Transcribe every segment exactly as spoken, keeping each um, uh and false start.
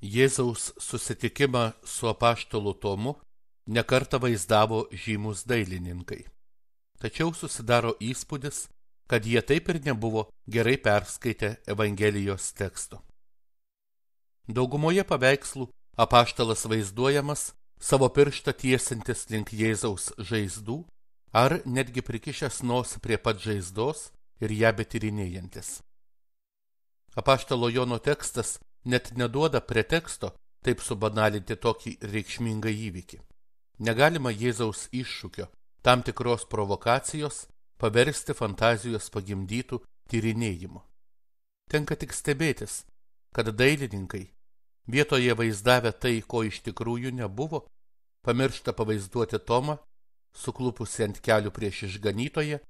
Jėzaus susitikimą su apaštalu Tomu nekartą vaizdavo žymus dailininkai. Tačiau susidaro įspūdis, kad jie taip ir nebuvo gerai perskaitę Evangelijos teksto. Daugumoje paveikslų apaštalas vaizduojamas savo pirštą tiesintis link Jėzaus žaizdų ar netgi prikišęs nosį prie pat žaizdos ir ją betyrinėjantis. Apaštalo Jono tekstas net neduoda preteksto taip subanalinti tokį reikšmingą įvykį. Negalima Jėzaus iššūkio, tam tikros provokacijos, paversti fantazijos pagimdytų tyrinėjimu. Tenka tik stebėtis, kad dailininkai, vietoje vaizdavę tai, ko iš tikrųjų nebuvo, pamiršta pavaizduoti Tomą, suklupusį ant kelių prieš išganytoją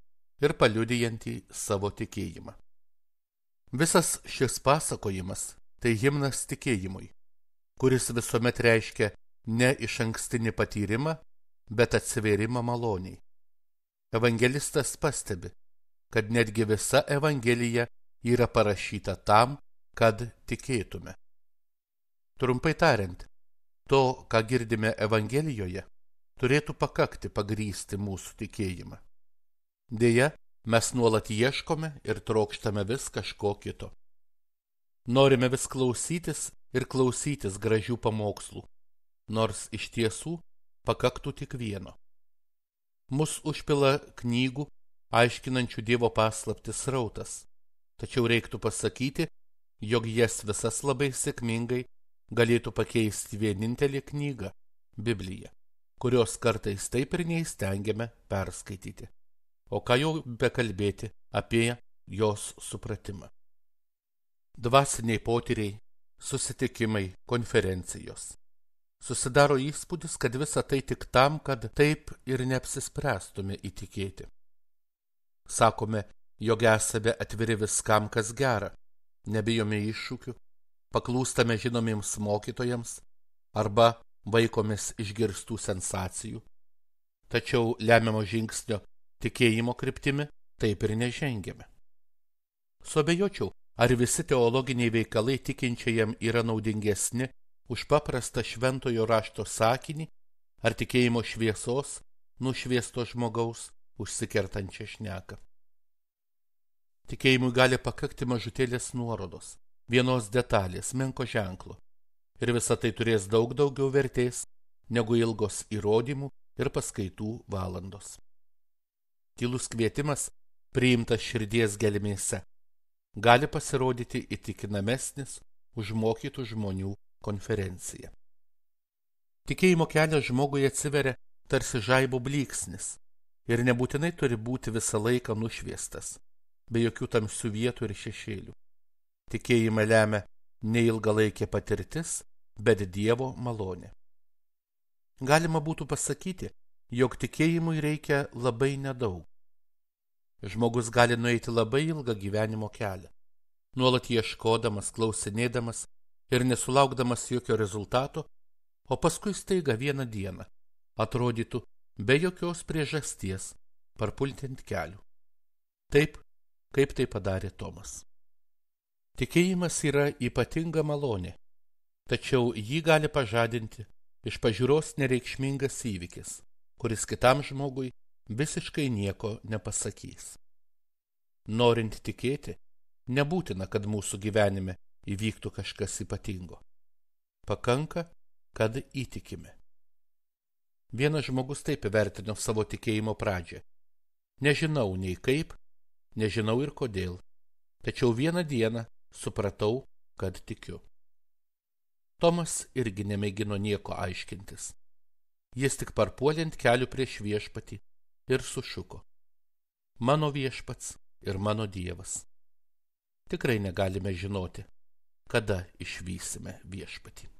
ir paliudijantį savo tikėjimą. Visas šis pasakojimas tai himnas tikėjimui, kuris visuomet reiškia ne išankstinį patyrimą, bet atsivėrimą maloniai. Evangelistas pastebi, kad netgi visa Evangelija yra parašyta tam, kad tikėtume. Trumpai tariant, to, ką girdime Evangelijoje, turėtų pakakti pagrįsti mūsų tikėjimą. Deja, mes nuolat ieškome ir trokštame vis kažko kito. Norime vis klausytis ir klausytis gražių pamokslų, nors iš tiesų pakaktų tik vieno. Mus užpila knygų, aiškinančių Dievo paslaptis srautas, tačiau reiktų pasakyti, jog jas visas labai sėkmingai galėtų pakeisti vienintelė knyga – Biblija, kurios kartais taip ir neįstengiame perskaityti. O ką jau bekalbėti apie jos supratimą. Dvasiniai potyriai, susitikimai, konferencijos. Susidaro įspūdis, kad visa tai tik tam, kad taip ir neapsispręstume įtikėti. Sakome, jog esame atviri viskam, kas gera, nebijome iššūkių, paklūstame žinomiems mokytojams arba vaikomės išgirstų sensacijų. Tačiau lemiamo žingsnio tikėjimo kryptimi taip ir nežengėme. Suabejočiau, ar visi teologiniai veikalai tikinčiajam yra naudingesni už paprastą šventojo rašto sakinį ar tikėjimo šviesos nušviesto žmogaus užsikertančią šneką. Tikėjimui gali pakakti mažutėlės nuorodos, vienos detalės, menko ženklo, ir visa tai turės daug daugiau vertės negu ilgos įrodymų ir paskaitų valandos. Tylus kvietimas, priimtas širdies gelmėse, gali pasirodyti įtikinamesnis už mokytų žmonių konferenciją. Tikėjimo kelias žmogui atsiveria tarsi žaibo blyksnis ir nebūtinai turi būti visą laiką nušviestas, be jokių tamsių vietų ir šešėlių. Tikėjimą lemia ne ilgalaikė patirtis, bet Dievo malonė. Galima būtų pasakyti, jog tikėjimui reikia labai nedaug. Žmogus gali nueiti labai ilgą gyvenimo kelią, nuolat ieškodamas, klausinėdamas ir nesulaukdamas jokio rezultato, o paskui staiga vieną dieną atrodytų be jokios priežasties parpulti ant kelių. Taip, kaip tai padarė Tomas. Tikėjimas yra ypatinga malonė, tačiau jį gali pažadinti iš pažiūros nereikšmingas įvykis, kuris kitam žmogui visiškai nieko nepasakys. Norint tikėti, nebūtina, kad mūsų gyvenime įvyktų kažkas ypatingo. Pakanka, kad įtikime. Vienas žmogus taip įvertino savo tikėjimo pradžią. Nežinau nei kaip, nežinau ir kodėl, tačiau vieną dieną supratau, kad tikiu. Tomas irgi nemėgino nieko aiškintis. Jis tik parpuolė ant kelių prieš viešpatį ir sušuko: mano viešpats ir mano Dievas. Tikrai negalime žinoti, kada išvysime viešpatį.